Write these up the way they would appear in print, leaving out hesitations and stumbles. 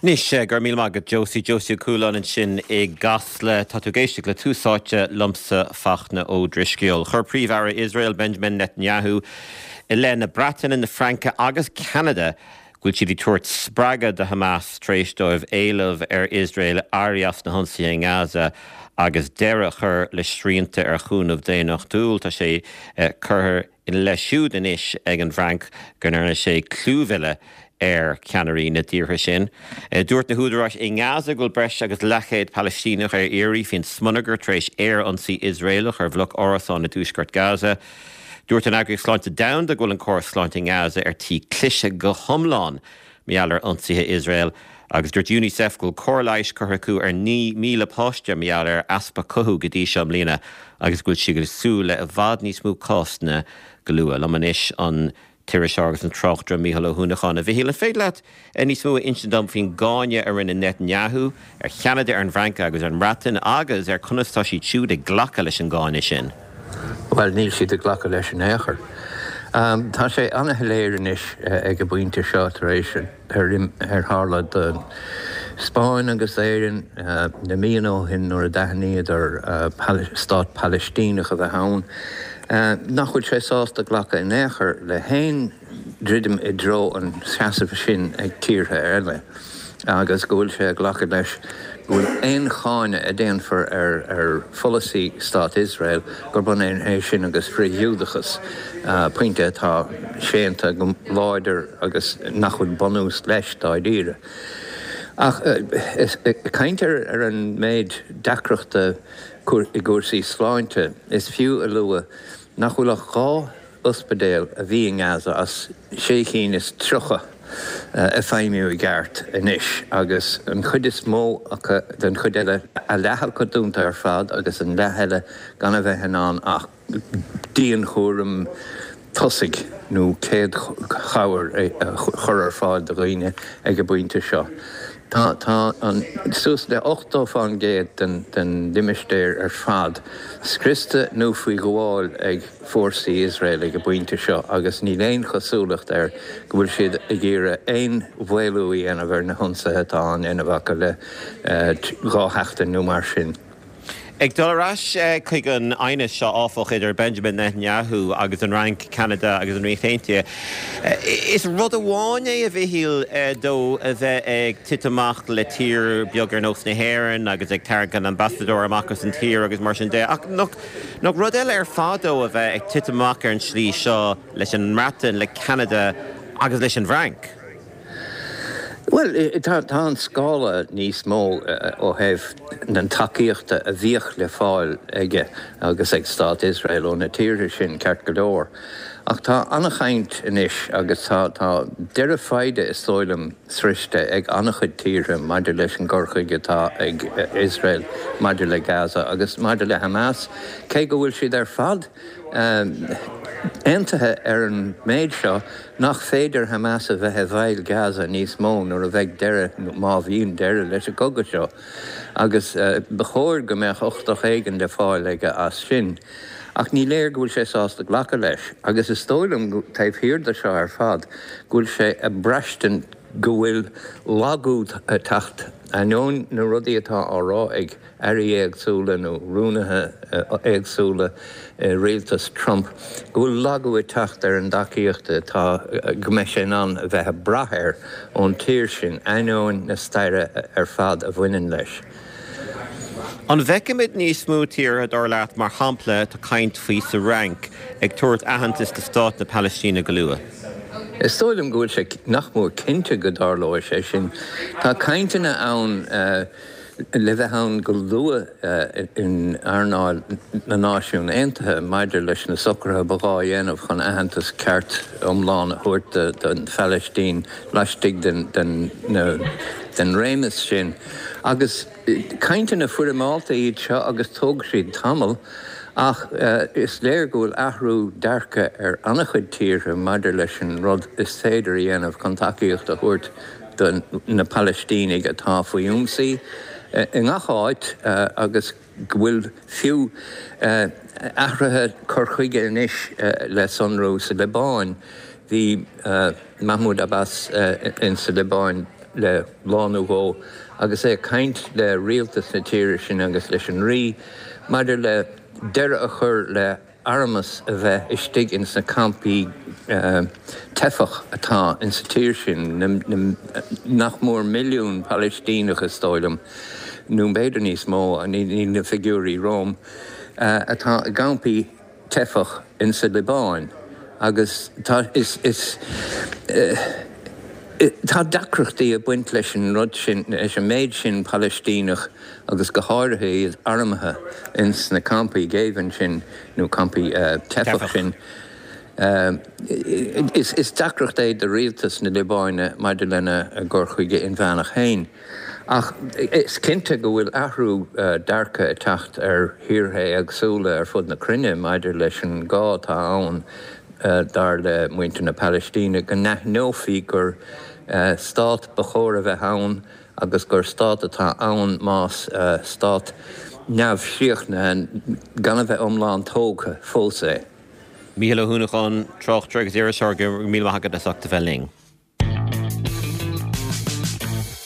Anois, go raibh míle maith agat Josie, Josie Ó Cualáin ansin i gCasla. Tá tú ag éisteacht le Tús Áite liomsa, Fachtna Ó Drisceoil. Chuir Príomh-Aire Iosrael, Benjamin Netanyahu, i leith na Breataine, na Fraince agus Ceanada go bhfuil siad ag tabhairt spreagadh do Hamas tar éis dóibh éileamh ar Iosrael éirí as na hionsaithe i nGaza agus deireadh a chur le srianta ar chúnamh daonnachtúil. Tá sé curtha ina leith siúd anois ag an bhFrainc go ndearna sé clúmhilleadh ar cheannairí na dtíortha sin. Dúirt na húdaráis i nGaza go bhfuil breis agus leathchéad Palaistíneach ar iarraidh faoin smionagar tar éis aerionsaí Iosraelach ar bhloc árasán i dtuaisceart Gaza. Dúirt an Eagraíocht Sláinte Domhanda go bhfuil an córas sláinte i nGaza ar tí cliseadh go hiomlán mar gheall ar ionsaithe Iosrael agus dúirt Unicef go bhfuil cóir leighis curtha acu ar 9,000 páiste mar gheall ar easpa cothú go dtí seo i mbliana agus go bhfuil siad ag súil le i bhfad níos mó cásanna go luath. Liom anois an t-iriseoir agus an tráchtaire Mícheál Ó hUanacháin. A Mhichíl, an féidir leat níos mó a insint dom faoin gcáineadh a rinne Netanyahu ar Cheanada, ar an bhFrainc agus ar an mBreatain agus ar conas tá siad siúd ag glacadh leis an gcáineadh sin? Bhuel, níl siad ag glacadh leis in aon chor. Tá sé an-shoiléir anois ag an bpointe seo tar éis ar tharla don Spáinn agus d'Éirinn na míonna ó shin nuair a d'aithníodar stát Palaistíneach a bheith ann, nach bhfuil sé sásta glacadh in aon chor le haon druidim i dtreo an tseasaimh sin ag tíortha eile agus go bhfuil sé ag glacadh leis go bhfuil aon cháineadh a déanfar ar pholasaí Stát Iosrael gurb ionann é sin agus frith-Ghiúdachas, pointe atá séanta go láidir agus nach bhfuil bunús leis dáiríre. Ach ag caint ar an méid deacrachta i gcúrsaí sláinte, is fiú a lua nach bhfuil ach 2 ospidéal a bhí i nGaza as sé chinn is 30 ag feidhmiú i gceart anois agus an chuid is mó acu den chuid eile, a leath acu dúnta ar fad agus an leath eile gan a bheith in ann ach dianchúram tosaigh nó céad chabhair a chur ar fáil do dhaoine ag an bpointe seo. Tá tá an suas le 80% den den limistéar ar fad scriosta nó faoi ghabháil ag fórsaí Iosrael ag an bpointe seo agus níl aon chosúlacht air go bhfuil siad ag iarraidh aon mhaolú a dhéanamh ar na hionsaithe atá á ndéanamh acu le 2 sheachtain nó mar sin. Ag dul ar ais chuig an aighneas seo, áfach, idir Benjamin Netanyahu agus an Fhrainc, Ceanada agus an Ríocht Aontaithe, is rud amháin é, a Mhichíl, dó a bheith ag titim amach le tír beag ar nós na hÉireann agus ag tarraingt an ambasadóir amach as an tír agus mar sin de, ach nach rud eile ar fad dó a bheith ag titim amach ar an tslí seo leis an mBreatain, le Ceanada agus leis an bhFrainc? Bhuel, tá an scála níos mó ó thaobh na tacaíochta a bhíodh le fáil aige agus ag Stát Iosrael ó na tíortha sin, ceart go leor. Ach tá an-chaint anois agus tá deireadh foighde, is dóigh liom, sroichte ag an-chuid tíortha maidir leis an gcur chuige atá ag Iosrael maidir le Gaza agus maidir le Hamas, cé go bhfuil siad ar fad aontaithe ar an méid seo nach féidir Hamas a bheith i bhfeighil Gaza níos mó nuair a bheidh deireadh, nó má bhíonn deireadh, leis an gcogadh seo agus ba chóir go mbeadh uchtach éigin le fáil aige as sin. Ach ní léir go bhfuil sé sásta glacadh leis agus is dóigh liom, taobh thiar de seo ar fad, go bhfuil sé ag braistint go bhfuil lagú ag teacht, ainneoin na rudaí atá á rá ag airí éagsúla nó rúnaithe éagsúla i rialtas Trump, go bhfuil lagú ag teacht ar an dtacaíocht atá, go mbeidh sé in ann a bheith ag brath air ón tír sin, ainneoin na staire ar fad a bhaineann leis. An bhfeicfimid níos mó tíortha, dar leat, mar shampla, tá caint faoi sa Fhrainc, ag tabhairt aitheantas do stát na Palaistíne go luath? Is dóigh liom go bhfuil sé nach mór cinnte go dtarlóidh sé sin. Tá cainteanna ann. le bheith ann go luath in earnáil na Náisiún Aontaithe maidir leis na socruithe ba ghá a dhéanamh chun aitheantas ceart iomlán a thabhairt don Phalaistín laistigh den réimeas sin. Agus cainteanna foirmeálta iad seo agus tógfaidh siad tamall, ach is léir go bhfuil athrú dearcaidh ar an-chuid tíortha maidir leis an rud is féidir a dhéanamh chun tacaíocht a thabhairt do na Palaistínigh atá faoi ionsaí i ngach áit agus go bhfuil fiú athruithe cur chuige anois le sonrú sa Liobáin. Bhí Mahmoud Abbas in sa Liobáin. le lá nó dhó agus é ag caint le rialtas na tíre sin agus leis an Rí maidir le deireadh a chur le armas a bheith istigh ins na campaí teifeach atá insa tír sin, nach mór milliún Palaistíneach is dóigh liom, nó b'fhéidir níos mó, níl na figiúirí romham, atá i gcampaí teifeach insa Liobáin agus tá is is tá deacrachtaí ag baint leis an rud sin, leis an méid sin Palaistíneach agus go háirithe iad armtha ins na campaí géibhinn sin nó campaí teifeach sin. Is deacracht é do rialtas na Liobáine maidir lena gcur chuige inmheánach féin. Ach is cinnte go bhfuil athrú dearcaidh ag teacht ar thíortha éagsúla ar fud na cruinne maidir leis an gá atá ann, dar le muintir na Palaistíne, go n-aithneofaí gur stát ba chóir a bheith ann agus gur stát atá ann más stát neamhchríochnaithe, gan a bheith iomlán tógtha fós é. Mícheál Ó hUanacháin, tráchtaire agus iriseoir, go raibh míle maith agat as ucht a bheith linn.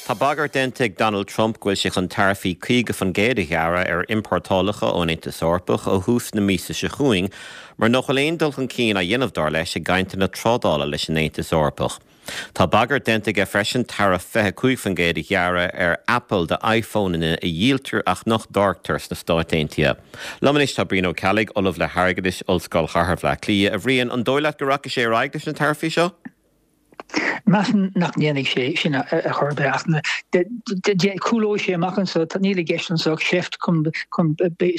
Tá bagairt déanta ag Donald Trump go bhfuil sé chun taraifí 50% a ghearradh ar iompórtálacha ón Aontas Eorpach ó thús na míosa seo chugainn mura nach bhfuil aon dul chun cinn á dhéanamh, dar leis, i gcainteanna trádála leis an Aontas Eorpach. Tá bagairt déanta aige freisin taraif 25% a ghearradh ar Apple do iPhoneanna a dhíoltar ach nach dtáirgtear sna Stáit Aontaithe. Liom anois tá Brian Ó Ceallaigh, Ollamh le hAirgeadas, Ollscoil Chathair Bhaile Átha Cliath. A Bhriain, an dóigh leat go rachaidh sé ar aghaidh leis na taraifí seo? Measaim nach ndéanfaidh sé sin ar chor ar bith ach cúlóidh sé amach anseo. Níl i gceist anseo ach seift chun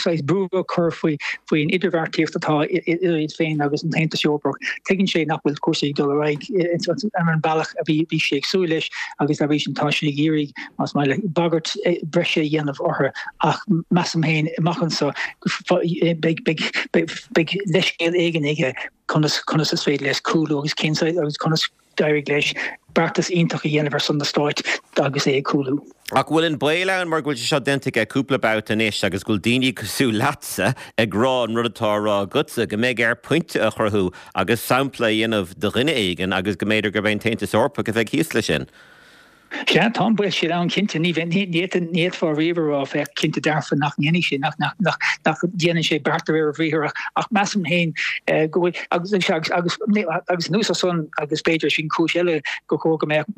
saghas brú a chur faoin idirbheartaíocht atá idir iad féin agus an tAontas Eorpach. Tuigeann sé nach bhfuil cúrsaí ag dul ar aghaidh ar an bhealach a bhí sé ag súil leis agus dá bhrí sin tá sé ag iarraidh, más maith leat, bagairt bhreise a dhéanamh orthu ach measaim féin amach anseo beidh leithscéal éigin aige conas conas is féidir leis cúlú agus cén saghas agus conas d'éirigh leis beartas iontach a dhéanamh ar son na Stáit agus é ag cúlú. Ach bhfuil an baol ann mar go bhfuil sé seo déanta aige cúpla babhta anois agus go bhfuil daoine cosúil leatsa ag rá an rud atá á rá agatsa, go mbeidh air pointe a chruthú agus sampla a dhéanamh de dhuine éigin agus go mb'fhéidir gurb é an tAontas Eorpach a bheidh thíos leis sin? Sea, tá an baol sin ann, cinnte. Ní fhéadfá riamh a rá, féach, cinnte dearfa nach ndéanfaidh sé, nach ndéanann sé beart de réir a bhriathair ach measaim féin go bhfuil, agus agus anuas ar san, agus b'fhéidir sin cúis eile gur chóir go mbeadh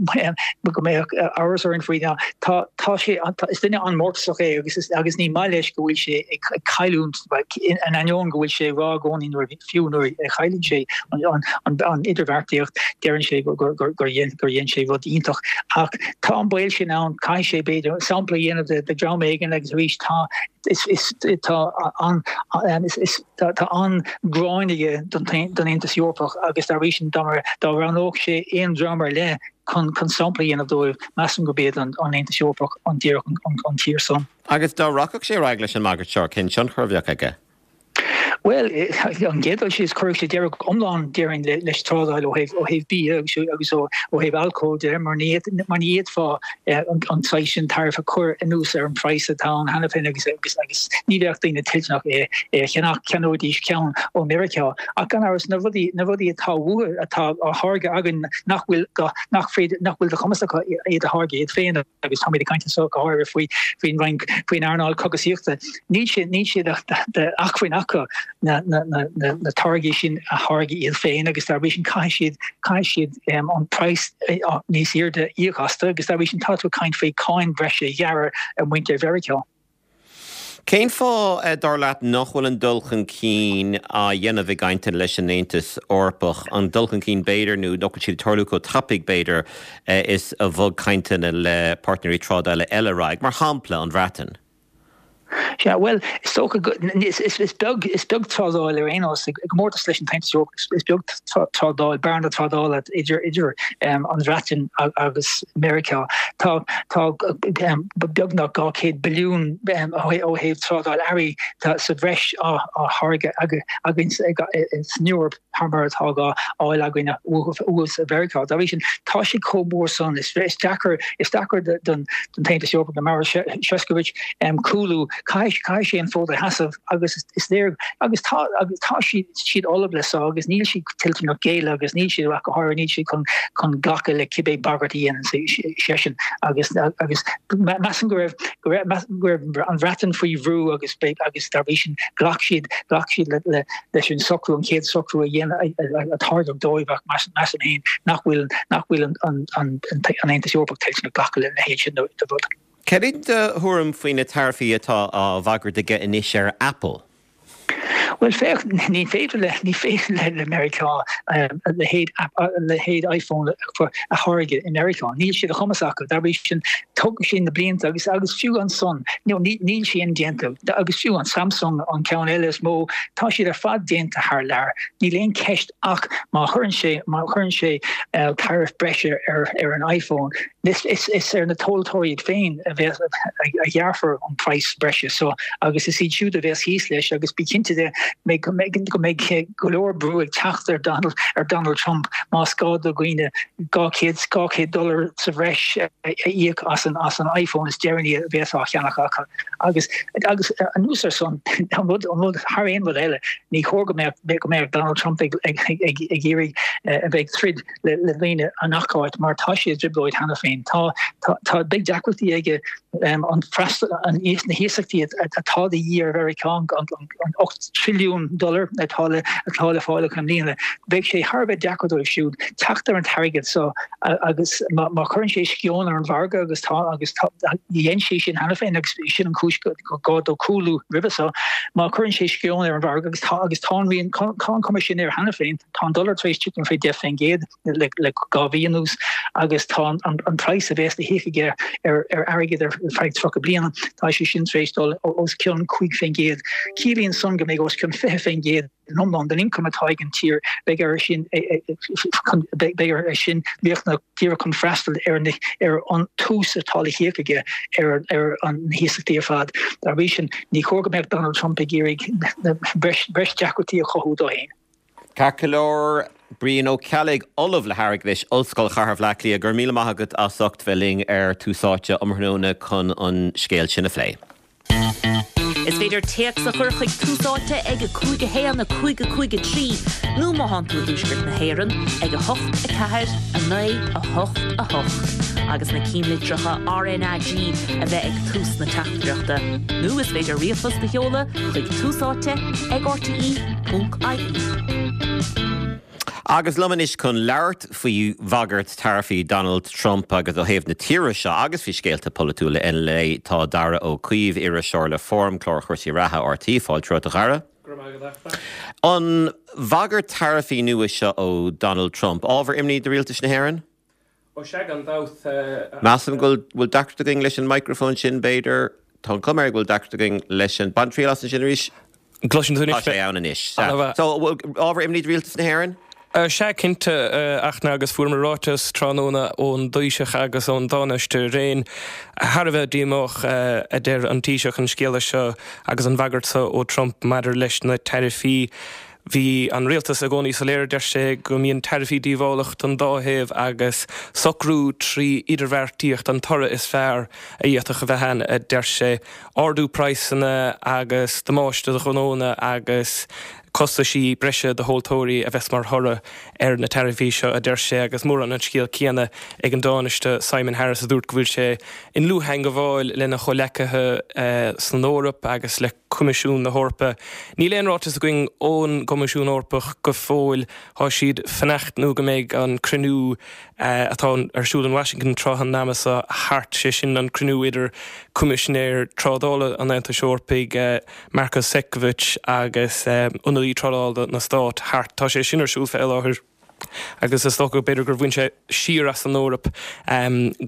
go mbeadh amhras orainn faoi, ná tá tá sé, is duine an-mhórtasach é agus agus ní maith leis go bhfuil sé ag cailliúint, in ainneoin go bhfuil sé ag rá i gcónaí nuair a fiú nuair a chailleann sé an idirbheartaíocht, deireann sé gur dhein sé rud iontach. Ach tá an baol sin ann, caithfidh sé, b'fhéidir, sampla a dhéanamh de dhream éigin agus arís tá tá an-ghráin aige don Aontas Eorpach agus dá bhrí sin dá roghnódh sé aon dream ar leith chun sampla a dhéanamh dóibh, measaim gurb iad an Aontas Eorpach an díreach an tír san. Agus dá rachadh sé ar aghaidh leis an mbagairt seo, cén tionchar a bheadh aige? Bhuel, an gcéad dul síos, chuirfeadh sé deireadh iomlán, déarfainn, leis trádáil ó thaobh ó thaobh bia agus agus ó thaobh alcóil de, mar ní mar ní fhéadfá an saghas sin tariff a chur anuas ar an phraghas atá ann cheana féin agus agus agus ní bheadh daoine toilteanach é é a cheannach, cheannóidís ceann ó Meiriceá. Ach gan amhras, na rudaí na rudaí atá uathu, atá á tháirgeadh againn nach bhfuil nach féidir nach bhfuil de chumas acu iad a tháirgeadh iad féin, agus táimid ag caint anseo go háirithe faoi faoin Roinn faoin earnáil cogasaíochta. Níl sé níl sé d'acmhainn acu na na na na na táirgí sin a tháirgeadh iad féin agus dá bhrí sin caithfidh siad caithfidh siad an praghas níos airde a íoc astu agus dá bhrí sin tá tú ag caint faoi cáin bhreise a ghearradh ar mhuintir Mheiriceá. Cén fáth, dar leat, nach bhfuil an dul chun cinn á dhéanamh i gcainteanna leis an Aontas Eorpach, an dul chun cinn b'fhéidir, nó nach bhfuil siad ag tarlú chomh tapaidh, b'fhéidir, is a bhog cainteanna le páirtnéirí trádála eile ar aghaidh, mar shampla, an Bhreatain? Sea, bhuel, is dócha go, is, is, is beag, is beag trádáil ar aon nós, i gcomórtas leis an tAontas Eorpach, is beag trádáil, bearna trádála idir, idir an Bhreatain agus Meiriceá. Tá, tá beagnach 200 billiún ó thaobh trádáil earraí sa bhreis á tháirgeadh againn san Eoraip thar mar atá á fháil againn uathu sa Mheiriceá. Dá bhrí sin, tá sé chomh mór san, is deacair, is deacair don tAontas Eorpach, do Maroš Šefčovič, cúlú. caithfidh caithfidh sé an fód a sheasamh agus is léir agus tá agus tá siad siad ullamh le so agus níl siad toilteanach géilleadh agus níl siad ach go háirithe níl siad chun chun glacadh le cibé bagairt a dhéanann seisean agus agus measaim go raibh go raibh go raibh an Bhreatain faoi bhrú agus agus dá bhrí sin ghlac siad ghlac siad le le leis an socrú an chéad socrú a dhéan a tairgeadh dóibh ach measaim féin nach bhfuil nach bhfuil an an an an Aontas Eorpach toilteanach glacadh lena leithéid sin de rud. Cad é do thuairim faoi na taraifí atá á bhagairt aige anois ar Apple? Bhuel, féach, ní féidir le, ní féidir le, le Meiriceá a leithéid, a leithéid iPhone a tháirgeadh i Meiriceá. Níl sé de chumas acu. Dá bhrí sin, tógfaidh sé na blianta agus, agus fiú ansan, you know, ní, níl sé indéanta. Agus fiú an Samsung, an ceann eile is mó, tá siad ar fad déanta thar lear. Níl aon cheist ach má chuireann sé, má chuireann sé tariff breise ar, ar an iPhone, Is ar na tomhaltóirí iad féin a bheas, a ghearrfar an praghas breise so agus is iad siúd a bheas thíos leis agus bí cinnte de go mbeidh go leor brú ag teacht ar Donald, ar Donald Trump más gá do dhaoine 200, 200 dollar sa bhreis a íoc as an, as an iPhone is deireanaí a bheas á cheannach acu. Agus, agus anuas ar san, an rud, an rud thar aon rud eile, ní chóir go mbeadh, go mbeadh Donald Trump ag, ag, ag, ag iarraidh a bheith ag troid le daoine i ngach áit mar tá sé i dtrioblóid cheana féin. Tá, tá, tá, beidh deacrachtaí aige an freastal, an, na hiasachtaí atá de dhíth ar Mheiriceá, an, an, an 8 trilliún dollar atá le, atá le fáil acu i mbliana. Beidh sé thar a bheith deacair dóibh siúd teacht ar an t-airgead so agus má, má chuireann sé sceon ar an mhargadh agus tá, agus tá, dhein sé sin cheana féin agus sin an chúis gur gá dó cúlú roimhe so, má chuireann sé sceon ar an mhargadh agus tá, agus tá an rian, tá an chuma sin air cheana féin. Tá an dollar tar éis titim faoi 10% le 2 mhí anuas agus tá an praghas a bheas le híoc aige ar airgead ar feadh 30 bliana, tá sé sin tar éis dul os cionn 5%. Ciallaíonn san go mbeidh os cionn 20% in iomlán den ioncam atá ag an tír, beidh air sin beidh air sin riachtanach díreach chun freastal ar an t-ús atá le híoc aige ar na hiasachtaí ar fad. Dá bhrí sin, ní chóir go mbeadh Donald Trump ag iarraidh breis deacrachtaí a chothú dó féin. Ceart go leor, Brian Ó Ceallaigh, Ollamh le hAirgeadas, Ollscoil Chathair Bhaile Átha Cliath, go raibh míle maith agat as ucht bheith linn ar Tús Áite um thráthnóna chun an scéal sin a phlé. Is féidir téacs a chur chuig Tús Áite ag 5 1 5 5 3 nó má thánn tú i dTuaisceart na hÉireann ag 8 4 9 8 8 agus na cinnlitreacha RnaG a bheith ag tús na teachtaireachta. Nó is féidir ríomhphost a sheoladh chuig Tús Áite ag RTÉ. .ie. Agus liom anois chun labhairt faoi bhagairt taraifí Donald Trump agus ó thaobh na tíre seo agus faoi scéalta polaitiúla eile tá Darragh Ó Caoimh, iriseoir le Forum, clár chúrsaí reatha RTÉ. Fáilte romhat a Dharragh. Go raibh maith agat, a Fhachtna. An bhagairt taraifí nua seo ó Donald Trump, ábhar imní do rialtas na hÉireann? Ó sea, gan dabht. Measaim go bhfuil deacracht againn leis an micreafón sin, b'fhéidir. Tá an chuma air go bhfuil deacracht againn leis an. Bain triail as ansin arís. Gcloiseann tú anois mé? Tá sé ann anois. Sea. So, ábhar imní do rialtas na hÉireann? Sea, cinnte, a Fhachtna, agus fuaireamar ráiteas tráthnóna ón dTaoiseach agus ón dTánaiste araon. Thar a bheith díomách, a deir an Taoiseach, an scéala seo agus an bhagairt seo ó Trump maidir leis na taraifí. Bhí an rialtas i gcónaí soiléir, a deir sé, go mbíonn taraifí díobhálach don dá thaobh agus socrú trí idirbheartaíocht an toradh is fearr a d'fhéadfadh a bheith ann, a deir sé. Ardú praghsanna agus damáiste do ghnónna agus costaisí breise do thomhaltóirí a bheas mar thoradh ar na taraifí seo, a deir sé, agus mórán an scéal céanna ag an dTánaiste Simon Harris a dúirt go bhfuil sé i ndlúth-theangabháil lena chomhleacaithe san Eoraip agus le Coimisiún na hEorpa. Níl aon ráiteas againn ón gCoimisiún Eorpach go fóill. Tá siad fanacht nó go mbeidh an cruinniú atá ar siúl in Washington tráth an ama seo thart, sé sin an cruinniú idir Coimisinéir Trádála an Aontais Eorpaigh, Maros Sefcovic agus ionadaí trádála na Stát thart. Tá sé sin ar siúl fé láthair agus is dócha b'fhéidir gur bhain sé siar as an Eoraip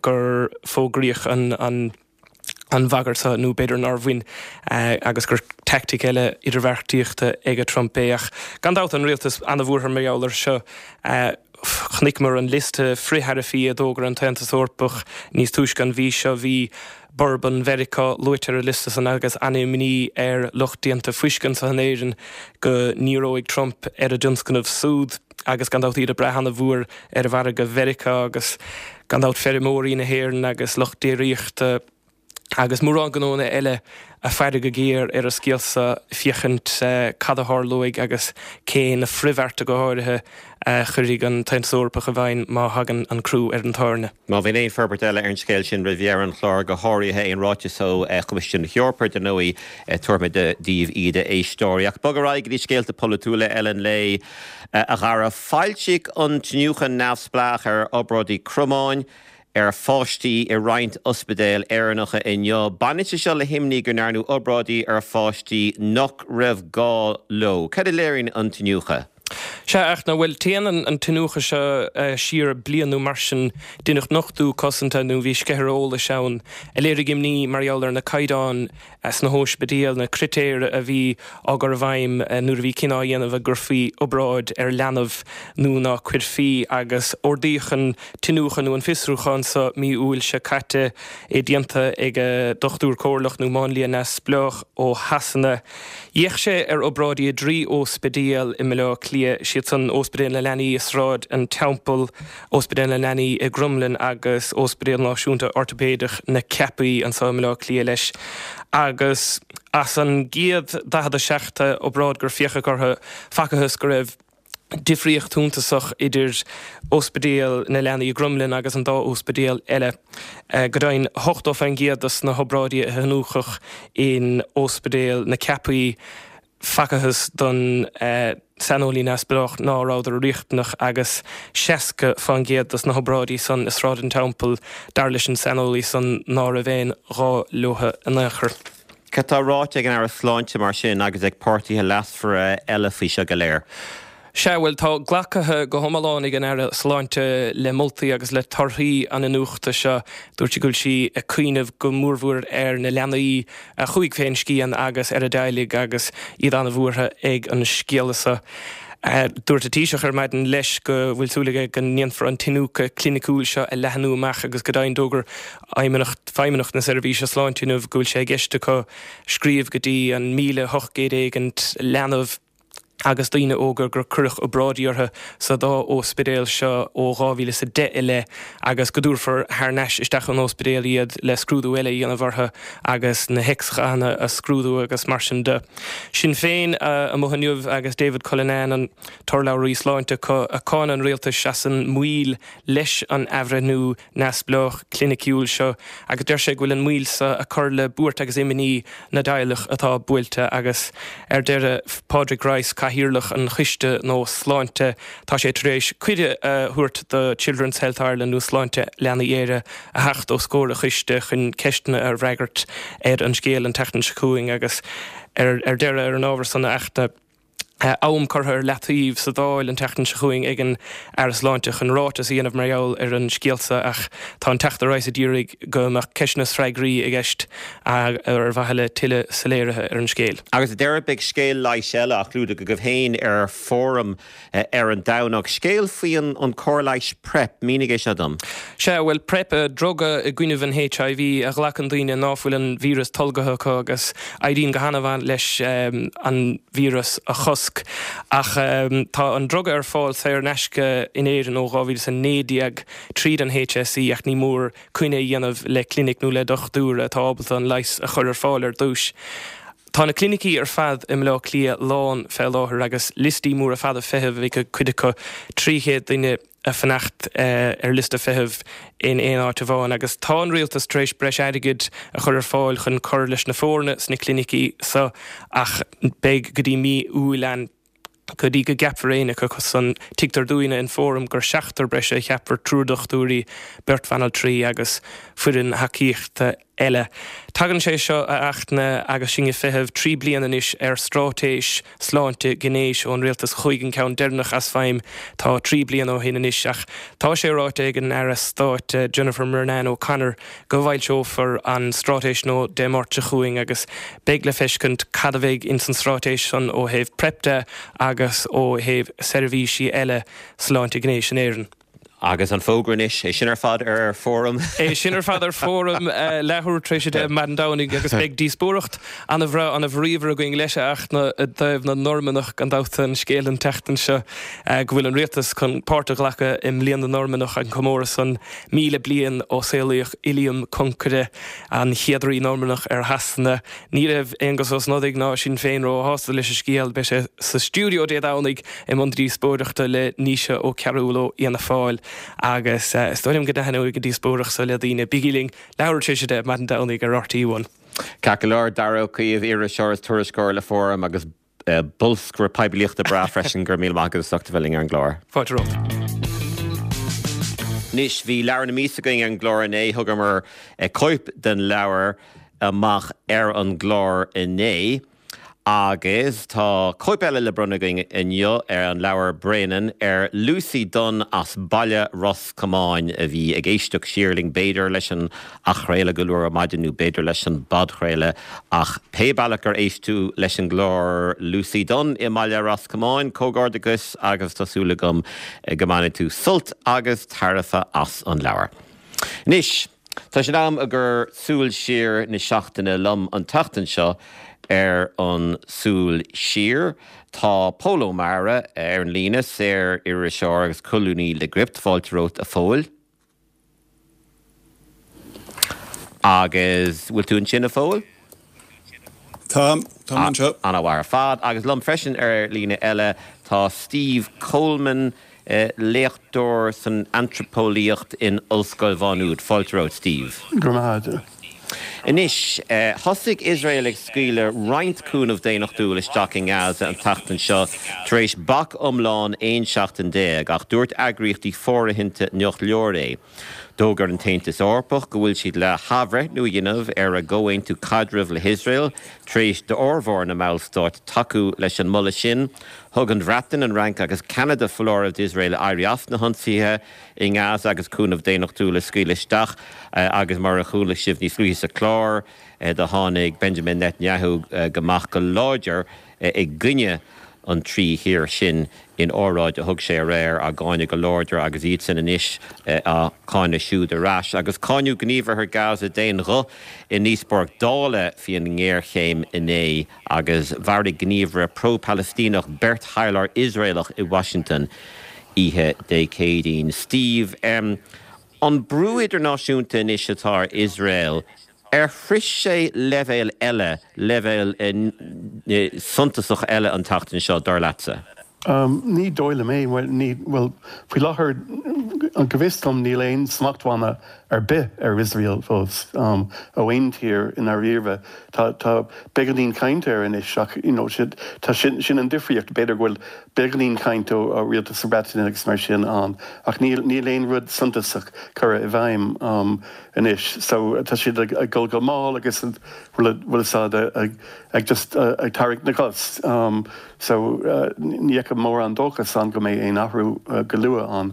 gur fógraíodh an an bhagairt seo, nó b'fhéidir nár bhain, agus gur teaictic eile idirbheartaíochta ag Trump é. Ach gan dabht, an rialtas an-bhuartha mar gheall air seo. Chonaiceamar an liosta frith-tharaifí a d'fhógair an tAontas Eorpach níos túisce an mhí seo. Bhí Bourbon Mheiriceá luaite ar an liosta san agus an-imní ar lucht déanta fuisce anseo in Éirinn go ndíreoidh Trump ar a dtionscnamh súd agus gan dabht iad ag brath an-mhór ar mhargadh Mheiriceá agus gan dabht feirmeoirí na hÉireann agus lucht déiríochta. Agus mórán gnónna eile a' faire go géar ar an scéal so féachaint cad a tharlóidh agus cé na frithbhearta go háirithe a chuirfidh an tAontas Eorpach i bhfeidhm má thagann an crú ar an tairne. Má bhíonn aon forbairt eile ar an scéal sin roimh dheireadh an chláir, go háirithe aon ráiteas ó Choimisiún na hEorpa, dar ndóigh, tabharfaimid daoibh iad, a éisteoirí. Ach bog ar aghaidh go dtí scéalta polaitiúla eile an lae, a Dhara. Foilsíodh an t-iniúchadh neamhspleách ar obráidí cromáin. ar pháistí i roinnt ospidéal Éireannacha inniu. Baineann sé seo le himní go ndearnadh obráidí ar pháistí nach raibh gá leo. Cad a léiríonn an t-iniúchadh? Sea, a Fhachtna, bhuel, téann an t-iniúchadh seo siar bliain nó mar sin. Deineadh nochtadh cosanta nó bhí sceithire eolais ann a léirigh imní mar gheall ar na caighdeáin sna hóispidéil, na critéir a bhí á gcur i bhfeidhm nuair a bhí cinneadh á dhéanamh an gcuirfí obráid ar leanbh nó ná cuirfí, agus ordaíodh an t-iniúchadh nó an fiosrúchán so mí Iúil seo caite, é déanta ag dochtúir comhairleach nó máinlia neamhspleách ó Shasana. D'fhéach sé ar obráidí i dtrí óspidéal i mBaile Átha Cliath, siad san Óspidéal na Leanaí i Sráid an Teampaill, Ospidéal na Leanaí i gCromghlinn agus Ospidéal Náisiúnta Ortaipéideach na Ceapaí anseo i mBaile Átha Cliath leis. Agus as an gcéad 47 obráid gur féachadh orthu, facathas go raibh difríocht shuntasach idir Ospidéal na Leanaí i gCromghlinn agus an dá ospidéal eile. Go deimhin, 80% dos na hobráidí a hiniúchadh in Ospidéal na Ceapaí, Facathas don saineolaí neamhspleách ná rabhadar riachtanach agus 60% dos na hobráidí san i Sráid an Teampaill, dar leis an saineolaí san, ná raibh aon ghá leotha in aon chor. Cad tá ráite ag an Aire Sláinte mar sin agus ag páirtithe leasmhara eile faoi seo go léir? Sea, bhuel, tá glactha go hiomlán ag an Aire Sláinte le moltaí agus le torthaí an iniúchta seo. Dúirt sí go bhfuil sí ag cuimhneamh go mórmhór ar na leanaí a chuaigh fén scian agus ar a dteaghlaigh agus iad an-bhuartha ag an scéala seo. Dúirt an Taoiseach ar maidin leis go bhfuil súil aige go ndéanfar an t-iniúchadh cliniciúil seo a leathnú amach agus go deimhin d'fhógair Feidhmeannacht na Seirbhíse Sláinte inniu go bhfuil sé i gceist acu scríobh go dtí an 1,800 éigint leanbh agus daoine óga gur cuireadh obráidí orthu sa dá óspidéal seo ó 2010 i leith agus go dtabharfar thar n-ais isteach an óspidéal iad le scrúdú eile a dhéanamh orthu agus na X-ghathanna a scrúdú agus mar sin de. Sinn Féin amuigh inniu agus David Cullinane, an t-urlabhraí sláinte acu, ag cáineadh an rialtais as an moill leis an athbhreithniú neamhspleách cliniciúil seo agus deir sé go bhfuil an mhoill seo ag cur le buairt agus imní na dteaghlach atá buailte agus ar deireadh Pádraig Rice, Cathaoirleach an Choiste nó Sláinte, tá sé tar éis cuireadh a thabhairt do Children's Health Ireland nó Sláinte Leanaí Éire a theacht os comhair an choiste chun ceisteanna a fhreagairt ar an scéal an tseachtain seo chugainn agus ar deireadh ar an ábhar san a Fhachtna. Am curtha ar leataobh sa Dáil an tseachtain seo chugainn ag an Aire Sláinte chun ráiteas a dhéanamh mar gheall ar an scéal seo ach tá an Teachta Rice ag iarraidh go mbeadh ceisteanna is freagraí i gceist ar mhaithe le tuilleadh soiléirithe ar an scéal. Agus ar deireadh beidh scéal leighis eile á chlúdach agaibh féin ar Fóram ar an Domhnach. Scéal faoi an cóir leighis PrEP, mínigh é seo dom. Sea, bhuel, PrEP, druga i gcoinnibh an HIV a ghlacann daoine ná fuil an víreas tolgaithe acu agus éiríonn go han-mhaith leis an víreas a chosc. Ach tá an druga ar fáil saor in aisce in Éirinn ó 2019 tríd an HSE ach ní mór coinne a dhéanamh le clinic nó le dochtúir atá ábalta an leigheas a chur ar fáil ar dtúis. Tá na clinicí ar fad i mBaile Átha Cliath lán fé láthair agus liostaí móra fada feithimh ag cuid acu, 300 duine ag fanacht ar liosta feithimh in aon áit amháin agus tá an rialtas tar éis breis airgid a chur ar fáil chun cur leis na foirne sna clinicí seo ach beidh go dtí mí Iúil ann go dtí go gceapfar éinne acu san. Tuigtear dúinne in Fóram gur seachtar breise a cheapfar, triúr dochtúirí, beirt bhanaltraí agus foireann thacaíochta eile. Tagann sé seo, a Fhachtna, agus sinn ag feitheamh 3 bliana anois ar straitéis sláinte gnéis ón rialtas. Chuaigh an ceann deireanach as feidhm tá 3 bliana ó shin anois ach tá sé ráite ag an Aire Stáit Jennifer Murnane O'Connor go bhfoilseofar an straitéis nua Dé Máirt seo chugainn agus beidh le feiscint cad a bheidh ins an straitéis san ó thaobh PrEP de agus ó thaobh seirbhísí eile sláinte gnéis in Éirinn. Agus an fógra anois, é sin ar fad ar Fóram. É sin ar fad ar Fóram, leathuair tar éis a 10 maidin Domhnaigh agus beidh díospóireacht ana-bhreá, ana-bhríomhar againn leis a Fhachtna i dtaobh na Normannach gan dabht an scéal an tseachtain seo go bhfuil an rialtas chun páirt a ghlacadh i mBliain na Normannach, an comóradh san 1000 bliain ó saolaíodh Uilliam Concaire, an chéad rí Normannach ar Shasana. Ní raibh Aengus Ó Snodaigh ná Sinn Féin róshásta leis an scéal. Beidh sé sa stiúideo Dé Domhnaigh i mbun díospóireachta le Naoise Ó Cearúil ó Fhianna Fáil agus is dóigh liom go dtaitneoidh an díospóireacht so le daoine. Bígí linn leathuair tar éis a 10 maidin Domhnaigh ar RTÉ One. Ceart go leor, Daragh Ó Caoimh, iriseoir is tuairisceoir le Fóram agus bolscaire poiblíochta breá freisin, go raibh míle maith agat as ucht a bheith linn ar an gclár. Fáilte romhat. Anois, bhí leabhar na míosa againn ar an gclár inné, thugamar cóip den leabhar amach ar an gclár inné. Agus tá cóip eile le bronnadh againn inniu ar an leabhar Bréanainn ar Lucy Dunne as Baile Ros Comáin a bhí ag éisteacht siar linn b'fhéidir leis an athchraoladh go luath ar maidin nó b'fhéidir leis an bpodchraoladh ach pé bealach gur éist tú leis an gclár Lucy Dunne i mBaile Ros Comáin, comhghairdeachas agus tá súil agam go mbainfidh tú sult agus tairbhe as an leabhar. Anois. Tá sé in am i gcomhair Súil Siar na seachtaine liom an tseachtain seo ar an Súil Siar. Tá Pól Ó Meára ar an líne, saor-iriseoir agus colúnaí le Gript. Fáilte romhat a Phóil. Agus bhfuil tú ansin a Phóil? Táim, táim anseo. Ana-mhaith ar fad. Agus liom freisin ar líne eile tá Steve Coleman, léachtóir san antraipeolaíocht in Ollscoil Mhá Nuad. Fáilte romhat, Steve. Go raibh maith agat. Anois, thosaigh Iosrael ag scaoileadh roinnt cúnamh daonnachtúil isteach i nGaza an tseachtain seo tar éis bac iomlán 11 seachtain, ach dúirt eagraíochtaí fóirithinte nach leor é. D'fhógair an tAontas Eorpach go bhfuil siad le hathbhreithniú a dhéanamh ar a gcomhaontú caidrimh le hIosrael tar éis d'fhormhór na mballstát tacú leis an moladh sin. Thug an Bhreatain, an Fhrainc agus Ceanada foláireamh d'Iosrael éirí as na hionsaithe i nGaza agus cúnamh daonnachtúil a scaoileadh isteach agus mar a chuala sibh níos luaithe sa chlár do tháinig Benjamin Netanyahu amach go láidir i gcoinne an trí thír sin in óráid a thug sé aréir, á gcáineadh go láidir agus iadsan anois á cáineadh siúd ar ais. Agus cáineadh gníomhartha Gaza d'aon ghuth i ndíospóireacht Dála faoin ngéarchéim inné agus mharaigh gníomhaire pro-Palaistíneach beirt thaidhleoir Iosraelach i Washington oíche Dé Céadaoin. Steve, an brú idirnáisiúnta anois atá ar Iosrael, Ar shroich sé leibhéal eile, leibhéal suntasach eile an tseachtain seo, dar leatsa? Ní dóigh liom é. Bhuel, ní, bhuel, faoi láthair, go bhfios dom, níl aon smachtbhanna ar bith ar Iosrael fós, ó aon tír i ndáiríre. Tá, tá beagáinín cainte air anois ach, you know, tá sin, sin an difríocht, b'fhéidir go bhfuil beagáinín cainte ó rialtas na Breataine agus mar sin ann ach níl, níl aon rud suntasach curtha i bhfeidhm. anois so tá siad ag dul go mall agus bhfuil a fhios agat ag just ag tarraingt na gcos so ní fheicim mórán dóchas ann go mbeidh aon athrú go luath ann.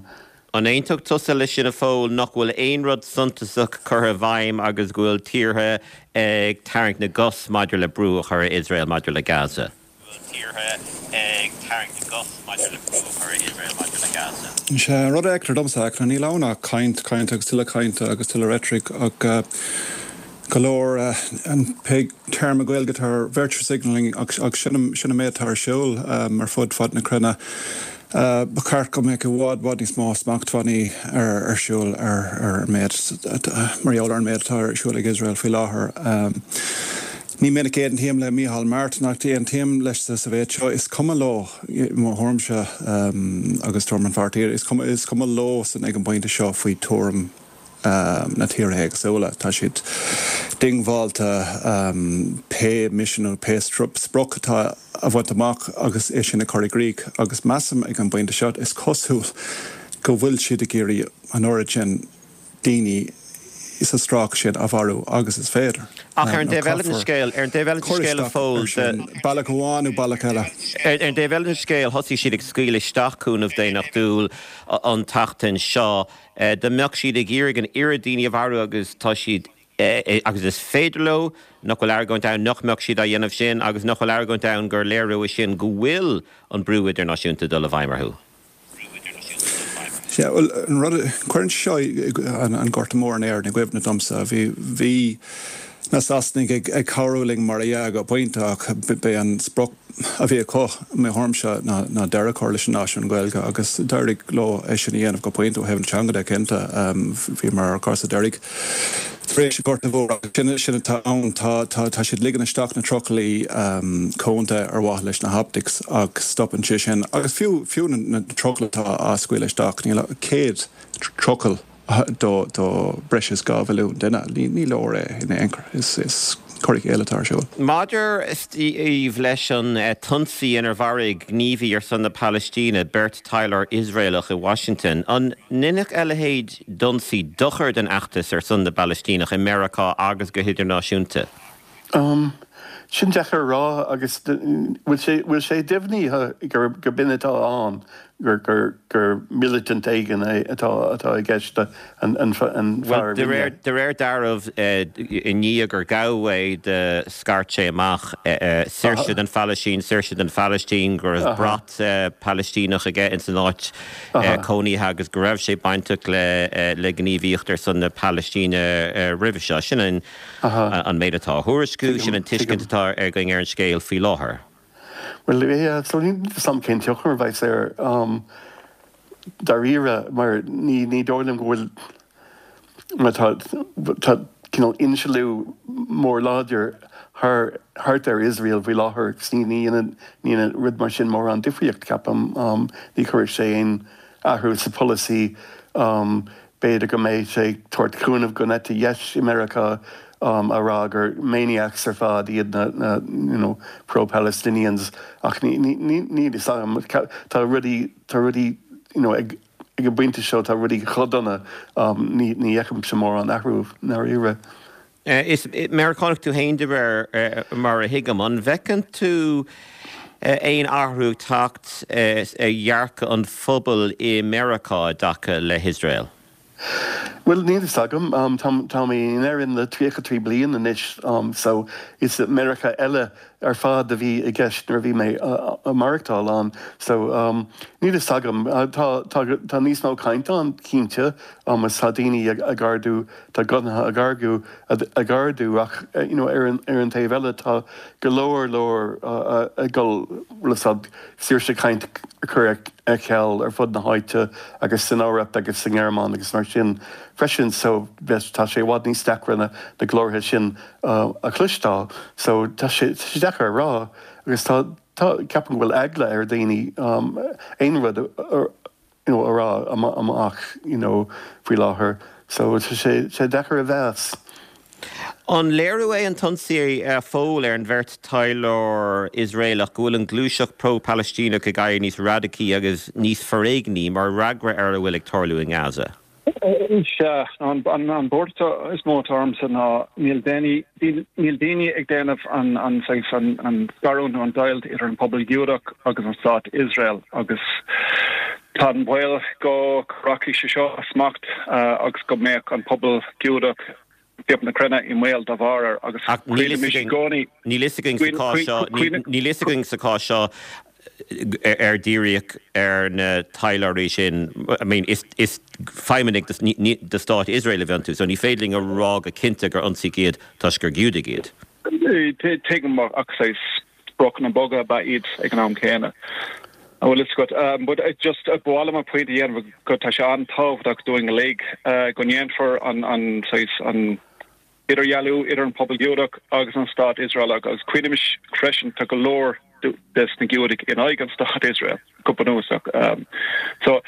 An aontódh tusa leis sin a Phóil, nach bhfuil aon rud suntasach curtha i bhfeidhm agus go bhfuil tíortha ag tarraingt na gcos maidir le brú a chur ar Iosrael maidir le Gaza? tíortha ag tarraingt na gcos maidir le brú a chur ar Iosrael maidir le Gaza. Sé an rud a fheictear domsa, ach níl ann ach caint, caint agus tuilleadh cainte agus tuilleadh reitric ach go leor, pé téarma Gaeilge atá ar virtue signalling ach sin an méid atá ar siúl ar fud fad na cruinne. Ba cheart go mbeadh i bhfad, bhfad níos mó smachtbhannaí ar siúl ar an méid, mar gheall ar an méid atá ar siúl ag Iosrael faoi láthair. Ní minic a aontaím le Micheál Martin ach aontaím leis sa mhéid seo, is cuma leo, i mo thuairimse agus tuairim an pháirtí, is cuma, is cuma leo san ag an bpointe seo faoi tuairim na tíortha éagsúla. Tá siad diongbháilte pé misean nó pé sprioc atá a bhaint amach agus é sin a chur i gcrích agus measaim ag an bpointe seo, is cosúil go bhfuil siad ag iarraidh an oiread sin daoine sa stráice sin a mharú agus is féidir. Ach ar an dtaobh eile den scéal, ar an dtaobh eile den scéal a Phóil, de. Bealach amháin nó bealach eile. Ar an dtaobh eile den scéal, thosaigh siad ag scaoileadh isteach cúnamh daonnachtúil an tseachtain seo. Dá mbeadh siad ag iarraidh an oiread daoine a mharú agus tá siad, agus is féidir leo, nach bhfuil argóint ann nach mbeadh siad á dhéanamh sin agus nach bhfuil argóint ann gur léiriú é sin go bhfuil an brú idirnáisiúnta ag dul i bhfeidhm orthu? Sea, bhuel, an rud, cuireann seo an Gorta Mór in Éirinn i gcuimhne domsa. Bhí, bhí na Sasanaigh ag, ag cabhrú linn mar dhea go pointe ach b'é an sprioc a bhí acu, i mo thuairimse, ná, ná deireadh a chur leis an náisiún Gaeilge agus d'éirigh leo é sin a dhéanamh go pointe ó thaobh na teanga de, cinnte. Bhíomar ar an gcúrsa deiridh tar éis an Ghorta Mhóir agus sin, sin atá ann. Tá, tá, tá siad ag ligean isteach na trucailí cónta ar mhaithe leis na hoptics ach stopann sé sin. Agus fiú, fiú na, na trucailí atá á scaoileadh isteach, níl ach 100 trucail do, do breis is 2 mhilliún duine. Ní, ní leor é in aon chor. Is, is cur i gcéill atá ar siúl. Maidir, a Steve, leis an t-ionsaí inar mharaigh gníomhaí ar son na Palaistíne beirt taidhleoir Iosraelach i Washington, an ndéanfadh a leithéid d'ionsaí dochar don fheachtas ar son na bPalaistíneach i Meiriceá agus go hidirnáisiúnta? Umm, sin deacair a rá agus bhfuil sé, bhfuil sé deimhnithe gur, gur b'in atá ann, gur, gur, gur militant éigin é atá, atá i gceist, an, an, an fear Bhuel, a de rinne. réir, de réir dealraimh, i ndiaidh gur gabhadh é do scairt sé amach, saoirse don Phalaistín, saoirse don Phalaistín, go raibh brat Palaistíneach aige ins an áit cónaithe agus go raibh sé bainteach le gníomhaíocht ar son na Palaistíne roimhe seo. Sin an méid atá á thuairisciú, sin an tuiscint atá againn ar an scéal faoi láthair. Bhuel, yeah, so níl 'fhios a'm cén tionchar a bheas air dáiríre mar ní dóigh liom go bhfuil, mar tá tá cineál insliú mór láidir thar thart ar Iosrael faoi láthair agus ní ní dhéanann ní dhéanann rud mar sin mórán difríocht ceapaim. Ní chuirfidh sé aon athrú sa pholasaí. B'fhéidir go mbeidh sé ag tabhairt cúnamh don eite dheis i Meiriceá a rá gur maniacs ar fad iad na na you know pro-Palestinians ach ní ní ní níl fhios agam. Tá rudaí tá rudaí you know ag ag an bpointe seo tá rudaí chomh dona ní ní fheicimse mórán athrú i ndáiríre. Is Meiriceánach tú féin de réir mar a thuigim. An bhfeiceann tú aon athrú ag teacht ar dhearcadh an phobail i Meiriceá i dtaca le hIosrael? Bhuel, níl fhios agam. Tá mé in Éirinn le 33 bliain anois so is Meiriceá eile ar fad a bhí i gceist nuair a bhí mé ag maireachtáil ann. So, níl fhios agam. Tá, tá, tá níos mó caint ann, cinnte, agus tá daoine ag ardú, tá guthanna ag ardú, ag ardú ach, you know, ar an, ar an taobh eile tá go leor, leor ag dul, bhfuil fhios a'd, saoirse cainte a chur ar ceal ar fud na háite agus san Eoraip agus sa nGearmáin agus mar sin freisin. So, tá sé i bhfad níos deacra na, na glórtha sin a chloisteáil. So tá sé deacair a rá agus tá, tá, ceapaim go bhfuil eagla ar dhaoine aon rud a, you know, a rá amach, you know, faoi láthair. So tá sé, sé deacair a mheas. An léiriú é an t-ionsaí a Phóil ar an bheirt taidhleoir Iosraelach go bhfuil an ghluaiseacht pro-Palaistíneach ag éirí níos radacaí agus níos foréigní mar fhreagra ar a bhfuil ag tarlú i nGaza? Sea, an buairt is mó atá ormsa ná níl daoine, níl daoine ag déanamh an, an saghas, an scarúint nó an deighilt idir an pobal Giúdach agus an stát Iosrael agus tá an baol go rachaidh sé seo as smacht agus go mbeadh an pobal Giúdach ciup na cruinne i mbaol dá bharr air agus Ach níl cuimhnímis i gcónaí níl fhios againn sa chás seo, níl fhios againn sa chás seo ar díríodh ar na taidhleoirí sin, I mean is is feidhmeannaigh de stát Iosrael a bhí iontu so ní féidir linn a rá go cinnte gur ionsaíodh iad toisc gur Giúdaigh iad. Tuigim ach saghas spriocanna boga ab ea iad ag an am céanna. An bhfuil fhios agat? But just ba mhaith liom an pointe a dhéanamh go tá sé an-tábhachtach dúinn uilig go ndéanfar an an saghas an idirdhealú idir an pobal Giúdach agus an stát Iosraelach agus cuimhnímis freisin tá go leor des na Giúdaigh in aghaidh an stát Iosrael go bunúsach. So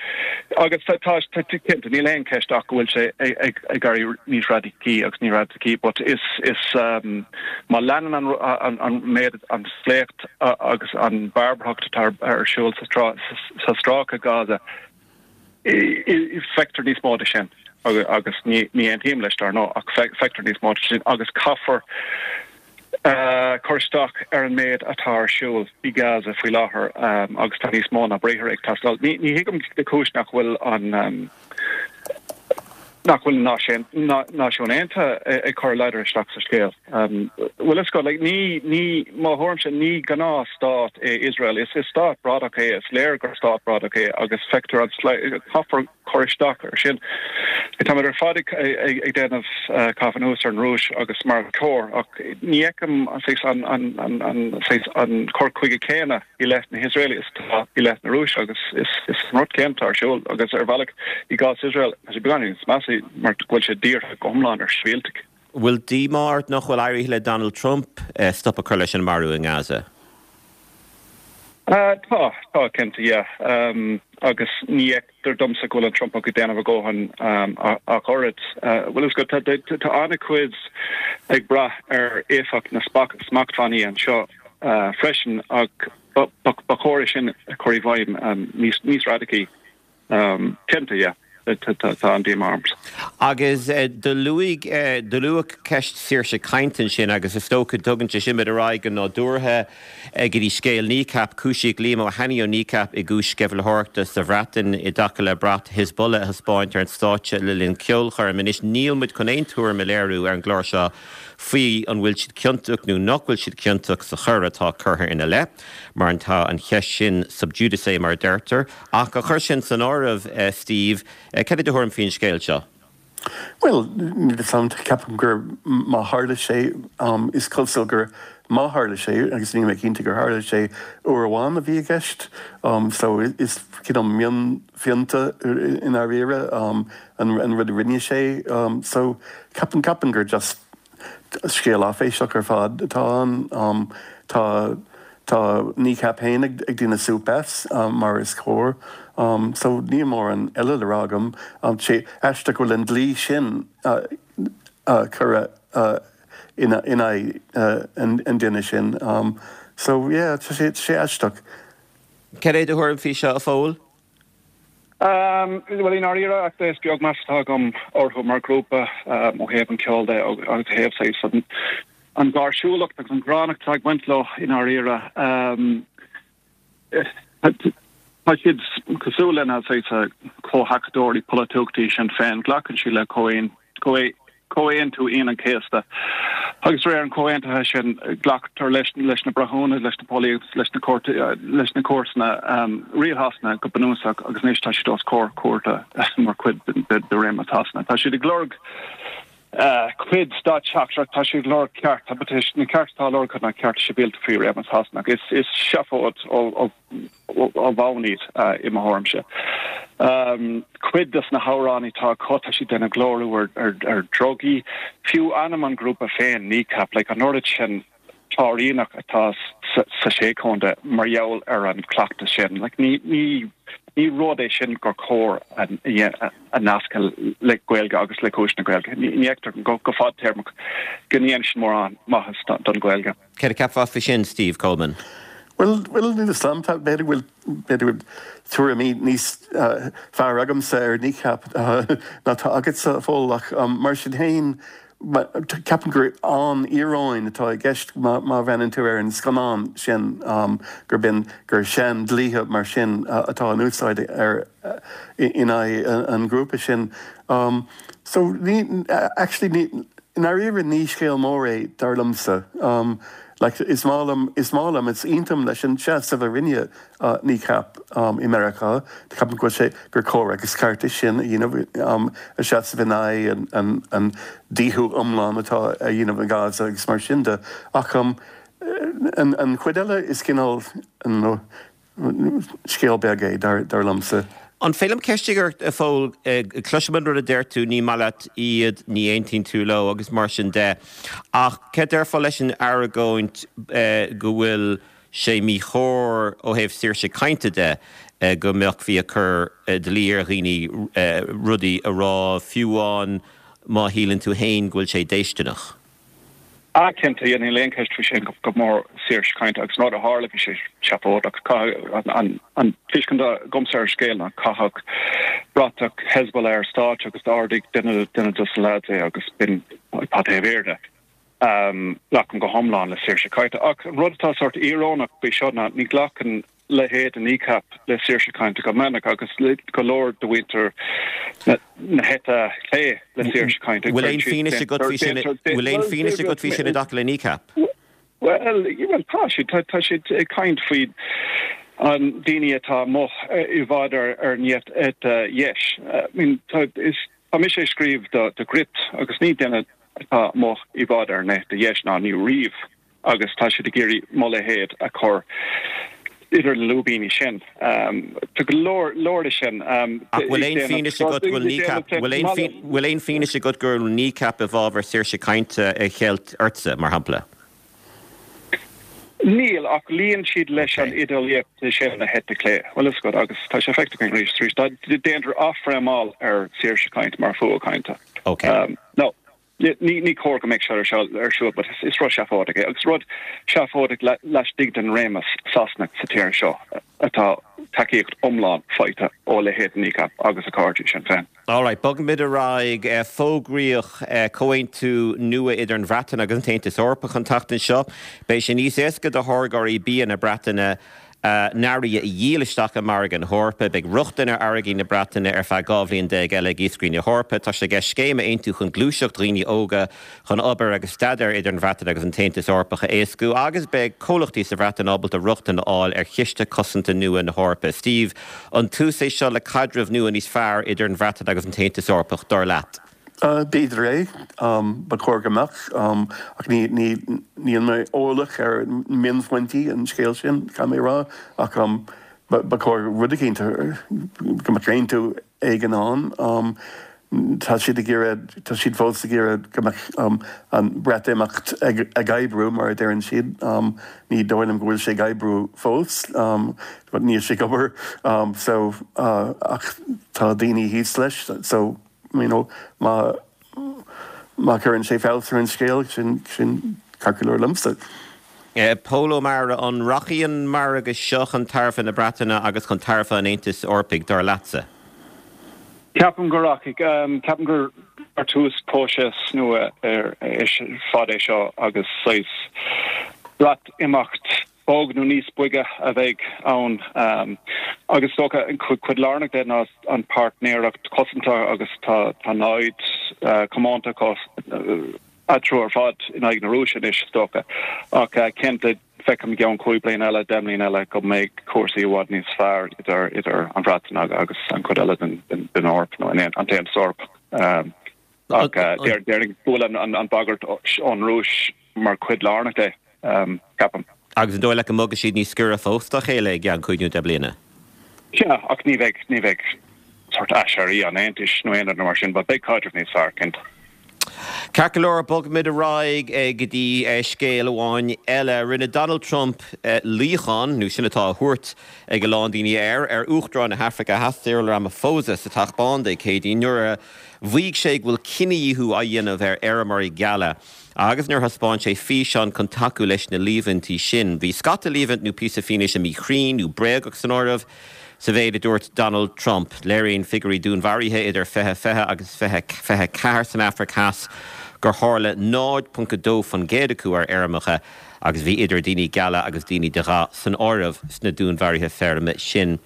agus tá tá cinnte níl aon cheist ach go bhfuil sé ag ag éirí níos radacaí agus níos radacaí but is is má leanann an an an méid an sléacht agus an bharbarthacht atá ar siúl sa sa stráice Gaza feictear níos mó de sin agus ní ní aontaím leis dar ndóigh ach feictear níos mó de sin agus caithfear cur isteach ar an méid atá ar siúl i Gaza faoi láthair agus tá níos mó ná briathra ag teastáil. Ní thuigim na cúis nach bhfuil an nach bhfuil na Náisiúin Aontaithe ag cur a ladar isteach sa scéal. Bhfuil fhios agat, like, ní, ní, mo thuairimse, ní gnáth-stát é Iosrael. Is, is stát bradach é, is léir gur stát bradach é agus feictear an, caithfear cur isteach ar sin. Táimid ar fad ag, ag, ag déanamh caitheamh anuas ar an Rúis agus mar is cóir ach ní fheicim an saghas, an, an, an, an saghas, an cur chuige céanna i leith na hIosraelaigh is atá i leith na Rúise agus is, is an rud céanna atá ar siúl agus ar bhealach i gcás Iosrael tá sé beagáinín níos measa mar go bhfuil sé dírithe go hiomlán ar shibhialtaigh. Bhfuil díomá ort nach bhfuil éirithe le Donald Trump stop a chur leis an marú i nGaza? Tá, tá, cinnte, yeah. Agus ní fheictear domsa go bhfuil an Trumpach ag déanamh a dhóthain ach oiread. Bhfuil fhios agat, tá an-chuid ag brath ar éifeacht na smachtbhannaí anseo freisin ach ba chóir é sin a chur i bhfeidhm níos radacaí. Cinnte, yeah. Tá an-díomá ormsa. Agus do luaigh, do luadh ceist saoirse cainte ansin agus is dócha tugann sé sin muid ar aghaidh go nádúrtha go dtí scéal Kneecap. Cúisíodh Liam Ó hAnnaidh ó Kneecap i gcúis sceimhlitheoireachta sa Bhreatain i dtaca le brat Hezbollah a thaispeáint ar an stáitse le linn ceolchoirm. Anois níl muid chun aon tuairim a léiriú ar an gclár seo faoi an bhfuil siad ciontach nó nach bhfuil siad ciontach sa choir atá curtha ina leith mar tá an cheist sin sub judice mar a deirtear. Ach á chur sin san áireamh, Steve, cad é do thuairim faoin scéal seo? Bhuel, níl fhios a'm, ceapaim gur má tharla sé, is cosúil gur má tharla sé, agus níl mé cinnte gur tharla sé, uair amháin a bhí i gceist, so is cineál mionphionta i ndáiríre an rud a rinne sé, so ceapaim, ceapaim gur just Scéal áiféiseach ar fad atá ann. Tá tá Kneecap féin ag déanamh súp as, mar is cóir. So níl mórán eile le rá agam. Tá sé aisteach go bhfuil an dlí sin curtha in aghaidh an duine sin. So yeah, tá sé aisteach. Cad é do thuairim faoi seo, a Phóil? Bhuel, i ndáiríre, ach is beag meas atá agam orthu mar ghrúpa ó thaobh an cheoil de agus ó thaobh saghas an gháirsiúlacht agus an ghránnacht atá ag baint leo i ndáiríre. Tá siad cosúil lena saghas comhthacadóirí polaitiúchta Sinn Féin. Glacann siad le Comhaontú Aoine an Chéasta. Agus de réir an chomhaontaithe sin, glactar leis na breithiúna, leis na póilíní agus leis na leis na cúirteanna, riail Shasana go bunúsach agus anois tá siad os comhair cúirte mar chuid de réimeas Shasana. Tá siad ag lorg cuid stát seachtrach, tá siad ag lorg cearta, but na cearta atá á lorg acu ná cearta sibhialta faoi réimeas Shasana. Is seafóid ó ó bhonn iad, i mo thuairimse. Cuid des na hamhráin atá acu, tá siad ag déanamh glóiriú ar drugaí. Fiú ainm an ghrúpa féin, Kneecap, like an oiread sin cláiríneach atá sa Sé Chontae mar gheall ar an chleachtas sin. Like ní, ní, ní rud é sin gur chóir a nascadh le Gaeilge agus le cúis na Gaeilge. Ní fheictear go fadtéarmach go ndéanann sin mórán maitheas don Ghaeilge. Céard a cheapfá faoi sin, Steve Coleman? Bhuel, bhuel, níl fhios a'm, tá, b'fhéidir go bhfuil, b'fhéidir go bhfuil tuairimí níos fearr agamsa ar Kneecap ná tá agatsa, a Phóil, ach mar sin féin, ceapaim gur an-íoróin atá i gceist má bhreathnaíonn tú ar an scannán sin, gurb in, gur sean-dlíthe mar sin atá in úsáid ar, in aghaidh an ghrúpa sin. So, ní, actually, ní, I ndáiríre ní scéal mór é, dar liomsa. Like, is maith liom, is maith liom, is aontaím leis an seasamh a rinne Kneecap i Meiriceá. Ceapaim go bhfuil sé, gur cóir agus ceart é sin a dhéanamh, a seasamh in aghaidh an, an díothú iomlán atá á dhéanamh i Gaza agus mar sin de. Ach an, an chuid eile is cineál, Scéal beag é, dar liomsa. An féidir liom ceist a chur ort, a Phóil? Cloisim an rud a deir tú, ní maith leat iad, ní aontaíonn tú leo agus mar sin de. Ach céard déarfá leis an argóint go bhfuil sé míchóir ó thaobh saoirse cainte de go mbeifí ag cur dlí ar dhaoine rudaí a rá, fiú amháin má shíleann tú féin go bhfuil sé déistineach? Ah cinnte, yeah, níl aon cheist faoi sin, go mór saoirse cainte agus an rud a tharla bhí sé seafóideach. Caithfidh, an, an tuiscint agamsa ar an scéal ná caitheadh bratach Hezbollah ar stáitse agus d'ardaigh duine, duine dos na lads é agus b'in atá taobh thiar de. Glacaim go hiomlán le saoirse cainte ach an rud atá sórt íorónach faoi seo ná ní ghlacann. leithéid de Kneecap le saoirse cainte go minic agus go leor de mhuintir na heite clé le saoirse cainte. Bhfuil aon fianaise agat faoi sin, bhfuil aon fianaise agat faoi sin i dtaca le Kneecap? Bhuel, tá siad, tá siad ag caint faoi an daoine atá amuigh i bhfad ar an eite dheis. I mean, tá, is, tá mise ag scríobh do do Gript agus ní duine atá amuigh i bhfad ar an eite dheis ná ní riamh agus tá siad ag iarraidh mo leithéid a chur idir na lúibíní sin. Tá go leor, leor de sin. Ach bhfuil aon fianaise agat go bhfuil Kneecap, bhfuil aon, bhfuil aon fianaise agat go bhfuil Kneecap i bhfabhar saoirse cainte a cheilt ortsa, mar shampla? Níl, ach luíonn siad leis an idéalaíocht sin na heite clé. Bhfuil fhios agat, agus tá sé feicthe againn arís is arís, déantar athfhréamáil ar saoirse cainte mar fuath cainte. Ok. No, ní cóir go mbeadh sé ar siúl, but is rud seafóideach é, agus rud seafóideach laistigh den réimeas Sasanach sa tír seo atá tacaíocht iomlán faighte ó leithéid Kneecap agus a cairde Sinn Féin. Alright, bogfaimid ar aghaidh. Fógraíodh comhaontú nua idir an Bhreatain agus an tAontas Eorpach an tseachtain seo. Beidh sé níos éasca do tháirgeoirí bia na Breataine a n-earraí a dhíol isteach i margadh na hEorpa. Beidh rochtain ar fharraigí na Breataine ar feadh 12 bhliain eile ag iascairí na hEorpa. Tá sé i gceist scéim a aontú chun gluaiseacht dhaoine óga chun obair agus staidéar idir an Bhreatain agus an tAontas Eorpach a éascú agus beidh comhlachtaí sa Bhreatain ábalta rochtain a fháil ar chiste cosanta nua na hEorpa. Steve, an tús é seo le caidreamh nua níos fearr idir an Bhreatain agus an tAontas Eorpach, dar leat? B'fhéidir é. Ba chóir go mbeadh. Ach níl mé eolach ar mhionphointí an scéil sin, caithfidh mé a rá. Ach ba chóir rud eicínt, go mbeadh aontú éigin ann. Tá siad ag iarraidh, tá siad fós ag iarraidh go mbeadh an Breatimeacht ag oibriú, mar a deireann siad. Ní dóigh liom go bhfuil sé ag oibriú fós, but níl sé ag obair. So, ach tá daoine thíos leis, so. You know, má, má chuireann sé feabhas ar an scéal, sin, sin ceart go leor liomsa. Pól Ó Meára, an rachaidh an margadh seo chun tairbhe na Breataine agus chun tairbhe an Aontais Eorpaigh, dar leatsa? Ceapaim go rachaidh. Ceapaim gur tús próiseas nua ar fad é seo agus saghas Breatimeacht bog nó níos boige a bheidh ann agus is dócha an cuid lárnach de ná an páirtnéireacht cosanta agus tá tá namhaid comónta acu eatarthu ar fad in aghaidh na Rúise anois is dócha ach cinnte feicim i gceann 5 bliana eile, 10 mbliana eile go mbeidh cúrsaí i bhfad níos fearr idir idir an Bhreatain agus an chuid eile den den Eoraip nó an tAontas Eorpach. Ach déarfainn go bhfuil an bhagairt ón Rúis mar chuid lárnach de, ceapaim. Agus an dóigh leat go mbogfaidh siad níos giorra fós dá chéile i gceann cúig nó deich bliana? Sea, ach ní bheidh, ní bheidh sórt aiséirí an Aontais nó aon rud mar sin, but beidh caidreamh níos fearr, cinnte. Ceart go leor, bogfaimid ar aghaidh go dtí scéal amháin eile. Rinne Donald Trump luíochán, nó sin atá á thabhairt ag a lán daoine air, ar Uachtarán na hAfraice Theas, Cyril Ramaphosa, sa Teach Bán Dé Céadaoin nuair a mhaígh sé go bhfuil cinedhíothú á dhéanamh ar fheirmeoirí geala agus nuair a thaispeáin sé físeán chun tacú leis na líomhaintí sin. Bhí scata líomhaint nó píosa fianaise míchruinn nó bréagach san áireamh sa mhéid a dúirt Donald Trump. Léiríonn figiúirí dúnmharuithe idir 2020 agus 2024 san Afraic Theas gur tharla 0.2% acu ar fheirmeacha agus bhí idir daoine geala agus daoine de dhath san áireamh sna dúnmharuithe feirme sin.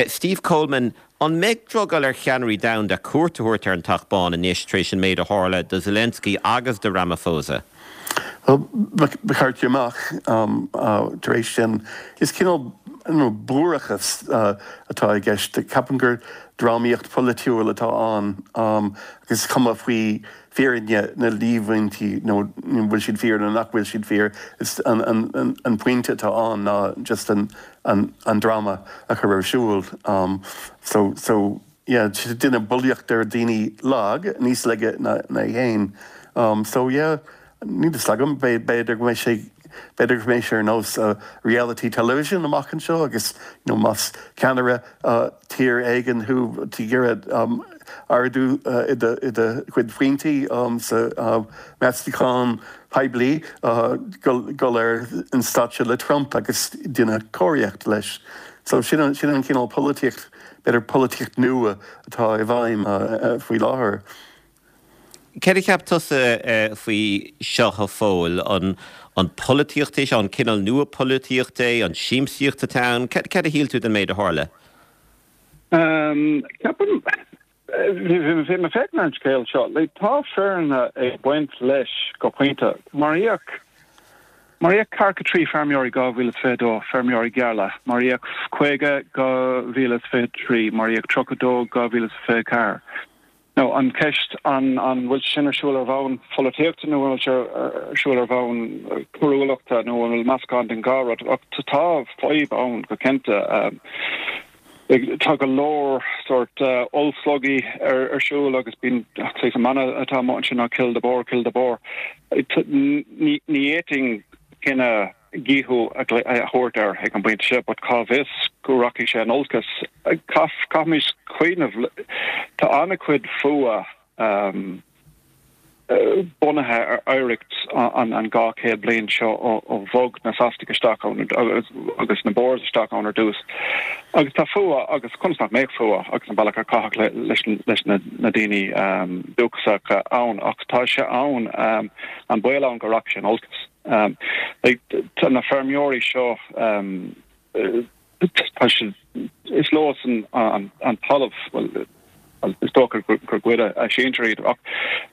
Steve Coleman, An mbeidh drogall ar cheannairí domhanda cuairt a thabhairt ar an Teach Bán anois tar éis an méid a tharla do Zelensky agus do Ramaphosa? Bhuel, ba cheart go mbeadh. Tar éis sin, is cineál buarachas atá i gceist. Ceapaim gur drámaíocht pholaitiúil atá ann agus is cuma faoi fírinne na líomhaintí nó an bhfuil siad fíor nó nach bhfuil siad fíor. Is an pointe atá ann ná just an an dráma a chur ar siúl. So, so, yeah, déanamh bulaíocht ar daoine lag, níos laige ná é féin. So, yeah, níl fhios agam, b'fhéidir go mbeidh sé, b'fhéidir go mbeidh sé ar nós reality television amach anseo agus, you know, más ceannaire tír éigin thú, tú ag iarraidh ardú i do chuid pointí sa meastachán poiblí, dul ar an stáitse le Trump agus déanamh cóiríocht leis. So sin an cineál polaitíocht, b'fhéidir polaitíocht nua atá i bhfeidhm faoi láthair. Céard a cheap tusa faoi seo, a Phóil? An an polaitíocht é seo? An cineál nua polaitíochta é? An siamsaíocht atá ann? Céard a shíl tú den méid a tharla? Ceapaim, bhí mé ag féachaint ar an scéal seo, like, tá fírinne ag baint leis go pointe. Maraíodh, maraíodh ceathracha 3 feirmeoirí 2022, feirmeoirí geala, maraíodh 50 2023, maraíodh 32 2024. Now, an cheist, an an bhfuil sé sin ar siúl ar bhonn pholaitíochta nó an bhfuil sé ar siúl ar bhonn coiriúlachta nó an bhfuil meascán den dhá rud? Ach tá fadhb ann go cinnte. Tá go leor sórt ollslogaí ar ar siúl agus bíonn saghas an mana atá amuigh ansin ná kill the Boer, kill the Boer. Ní ní fhéadfainn cinneadh dhíothú a thabhairt air ag an bpointe seo, but cá bhfios go rachaidh sé in olcas. Caithfimid cuimhneamh, tá an-chuid fuath bunaithe ar oidhreacht an 200 bliain seo ó bhog na Sasanaigh isteach ann agus na Boers isteach ann ar dtús. Agus tá fuath, agus conas nach mbeadh fuath agus an bealach ar caitheadh leis na daoine dúchasacha ann, ach tá sé ann, an baol ann go rachaidh sé in olcas. Tá na feirmeoirí seo, tá siad, is leosan an talamh, bhuel, is dócha gur goideadh a sinsir iad, ach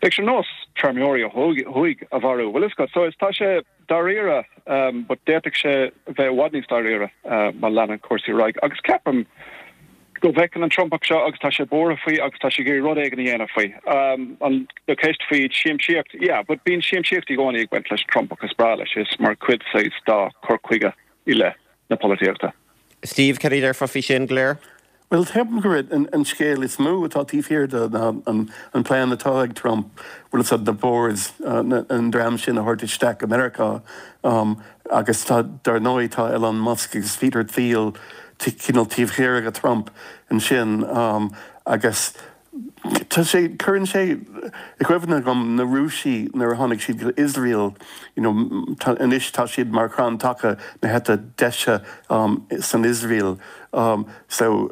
bheadh sé ar nós feirmeoirí ó thuaidh a mharú, bhfuil a fhios agat. So is tá sé dáiríre, but d'fhéadfadh sé bheith i bhfad níos dáiríre má leanann cúrsaí ar aghaidh. Agus ceapaim go bhfeiceann an Trumpach seo agus tá sé buartha faoi agus tá sé ag iarraidh rud éigin a dhéanamh faoi. An do cheist faoi siamsaíocht, yeah, but bíonn siamsaíocht i gcónaí ag baint leis an Trumpach, is breá leis, is mar chuid saghas dá chur chuige i leith na polaitíochta. Steve, cad a déarfá faoi sin go léir? Bhuel, ceapaim gurb é an scéal is mó atá taobh thiar de ná an plean atá ag Trump, bhfuil fhios agat, na Boers, an dream sin a thabhairt isteach go Meiriceá. Agus tá, dar ndóigh, tá Elon Musk agus Peter Thiel cineál taobh thiar de Trump ansin agus tá sé, cuireann sé i gcuimhne dhom na Rúisigh nuair a tháinig siad go Iosrael, you know, anois tá siad mar chrann taca na heite deise san Iosrael. So,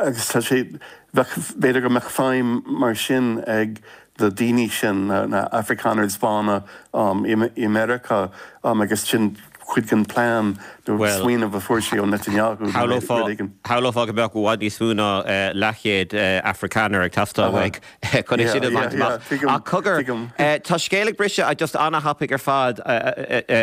agus tá sé, bheadh, b'fhéidir go mbeadh feidhm mar sin ag na daoine sin, na Afrikaners bána i Meiriceá agus sin cuid den plean nó smaoineamh a fuair sé ó Netanyahu nó rud éigin. Shamhlófá go mbeadh i bhfad níos mó ná leathchéad Afrikaner ag teastáil uaidh chun é sin a bhaint amach. Ach cogar, tá scéal ag briseadh just ana-thapaidh ar fad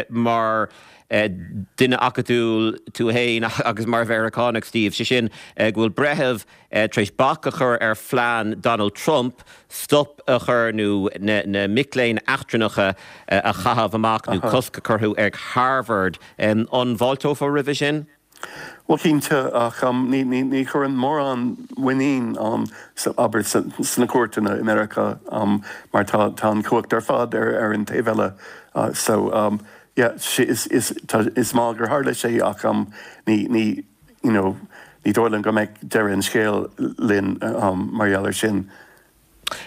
mar duine acadúil tú fhéin agus mar Mheiriceánach, Steve, sé sin go bhfuil breitheamh tar éis bac a chur ar phlean Donald Trump stop a chur nó na mic léinn eachtrannacha a chaitheamh amach nó cosc a chur orthu ag Harvard. An bhfáilteofá roimhe sin? Bhuel, cinnte, ach ní chuireann mórán muinín ann, abair, sna cúirteanna i Meiriceá mar tá an chumhacht ar fad ar an taobh eile. So, yeah, is maith gur tharla sé ach ní, you know, ní dóigh liom go mbeidh deireadh an scéil linn mar gheall air sin.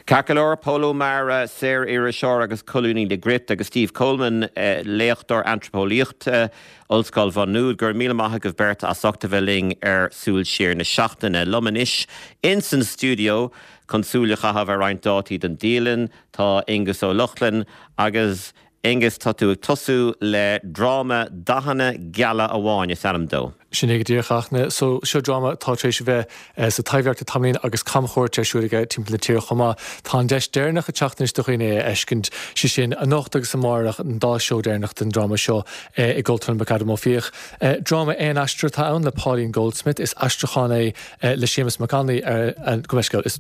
Ceart go leor, Pól Ó Meára, saor-iriseoir agus colúnaí le Gript, agus Steve Coleman, léachtóir antraipeolaíochta, Ollscoil Mhá Nuad, go raibh míle maith agaibh beirt as ucht a bheith linn ar Súil Siar na Seachtaine. Liom anois ins an stiúideo chun súil a chaitheamh ar roinnt dátaí don dialann, tá Aengus Ó Lochlainn agus Aengus, tá tú ag tosú le dráma Dathanna Geala Amháin is ainm dó. Sin é go díreach, a Fhachtna. So, seo dráma atá tar éis a bheith sa Taibhdhearc le tamaillín agus camchuairt ar siúl aige timpeall na tíre chomh maith. Tá an deis deireanach ag teacht anois do dhaoine é a fheiscint, sé sin anocht agus amárach, an dá seó deireanach den dráma seo i gCultúrlann McAdam Ó Fiaich. Dráma aon aisteoir atá ann le Pauline Goldsmith. Is aistriúchán é le Séamus Mac Annaidh ar, gabh mo leithscéal, is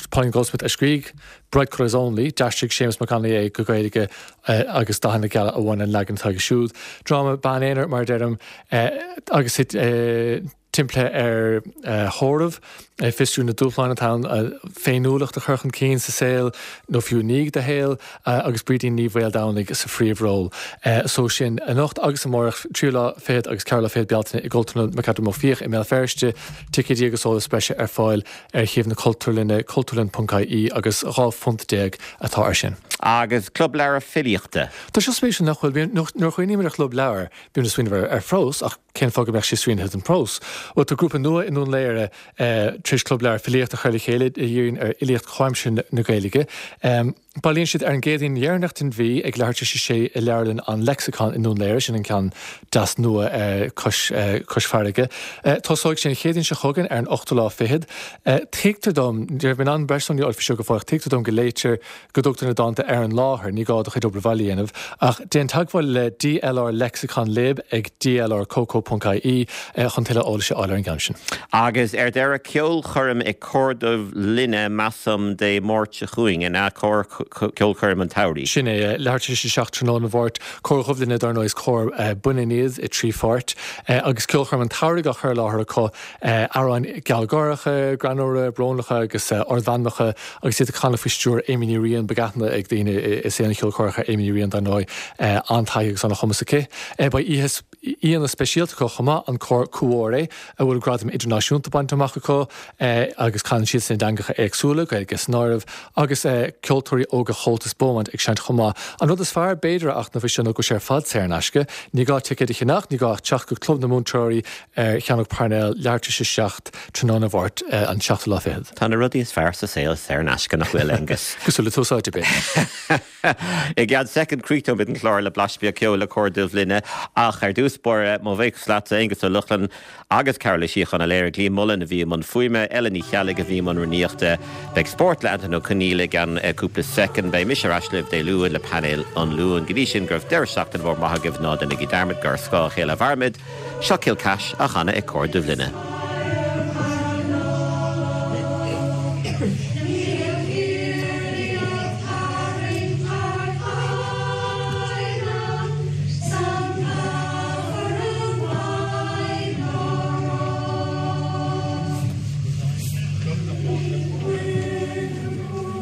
Pauline Goldsmith a scrígh. Bright Colours Only, d'aistrigh Séamus Mac Annaidh é go Gaeilge agus Dathanna Geala Amháin an leagan atá aige siúd. Dráma bean aonair, mar a deirim, agus timpeallaithe ar thórramh, ag fiosrú na dúshláin atá ann féiniúlacht a chur chun cinn sa saol, nó fiú i ndiaidh do shaoil, agus Brídín Ní Mhaoldomhnaigh sa phríomhról. So sin anocht agus amárach, tríú lá fichead agus ceathrú lá fichead Bealtaine i gCultúrlann McAdam Ó Fiaich i mBéal Feirste. Ticéidí agus eolas breise ar fáil ar shuíomh na Cultúrlainne, cultúrlann.ie, agus 12 phunt atá air sin. Agus Club Leabhar Filíochta. Tá seo spéisiúil nach bhfuil? Nuair a chuimhnímid ar chlub leabhar, bímid ag smaoineamh ar phrós, ach. Cén fáth go mbeadh sé srianaithe don phrós? Bhuel, tá grúpa nua i nDún Laoghaire tar éis Club Leabhar Filíochta a chur le chéile a dhíríonn ar fhilíocht chomhaimseartha na Gaeilge. Bailíonn siad ar an gCéadaoin dheireanach den mhí ag leathuair tar éis a sé i Leabharlann an Lexicon i nDún Laoghaire, sin an ceann deas nua cois cois farraige. Tosóidh sé an Chéadaoin seo chugainn ar an ochtú lá fichead. Tuigtear dom, ní raibh mé in ann breis sonraí a fháil faoi seo go fóill, ach tuigtear dom go léitear go dtugtar na dánta ar an láthair, ní gá do chuid obair bhaile a dhéanamh, ach déan teagmháil le DLR Lexicon Lib ag dlrcoco.ie chun tuilleadh eolais a fháil ar an gceann sin. Agus ar deireadh, ceolchoirm ag Cór Dhuibh Linne, measaim, Dé Máirt seo chugainn, an ea? Cór, ceolchoirm an tsamhraidh. Sin é, leathuair tar éis a 7 tráthnóna Mháirt. Cór Dhuibh Linne, dar ndóigh, is cór baineann iad i dtrí pháirt, agus ceolchoirm an tsamhraidh á chur i láthair acu, amhráin ghealgháireacha, greannmhara, brónacha agus ardmheanmacha agus iad ag canadh faoi stiúir Amy Ní Riain, beidh aithne ag daoine i saol an cheoil chórach ar Amy Ní Riain dar ndóigh, an-taithí agus an-chumas aici. Beidh oíche aíonna speisialta acu chomh maith, an cór Cuore, a bhfuil gradaim idirnáisiúnta bainte amach acu agus canann siadsan i dteangacha éagsúla, Gaeilge san áireamh, agus ceoltóirí óga Chomhaltas Beaumont ag seinnt chomh maith. An rud is fearr, b'fhéidir, a Fhachtna faoi seo ná go bhfuil sé ar fad saor in aisce. Ní gá ticéad a cheannach, ní gá ach teacht go Club na Múinteoirí ar Chearnóg Parnell, leathuair tar éis a 7 tráthnóna Mháirt, an seachtú lá fichead. Tá na rudaí is fearr sa saol saor in aisce, nach bhfuil, Aengus? Cosúil le Tús Áite, b'fhéidir. I gceann soicind críochnóimid an clár le blaiseadh beag ceoil le Cór Dhuibh Linne, ach ar dtús báire, mo bhuíochas leatsa, Aengus Ó Lochlainn, agus cara le Síocháin a léirigh Liam Mullen a bhí i mbun fuaime, Ellen Ní Cheallaigh a bhí i mbun rúnaíochta. Beidh Spórt le Antain Ó Conghaile i gceann cúpla soicind. Beidh mise ar ais libh Dé Luain le painéal an Luain. Go dtí sin, go raibh deireadh seachtaine mhór maith agaibh, ná déanaigí dearmad gur ar scáth a chéile a mhairimid. Seo Kilcash á chanadh ag Cór Dhuibh Linne.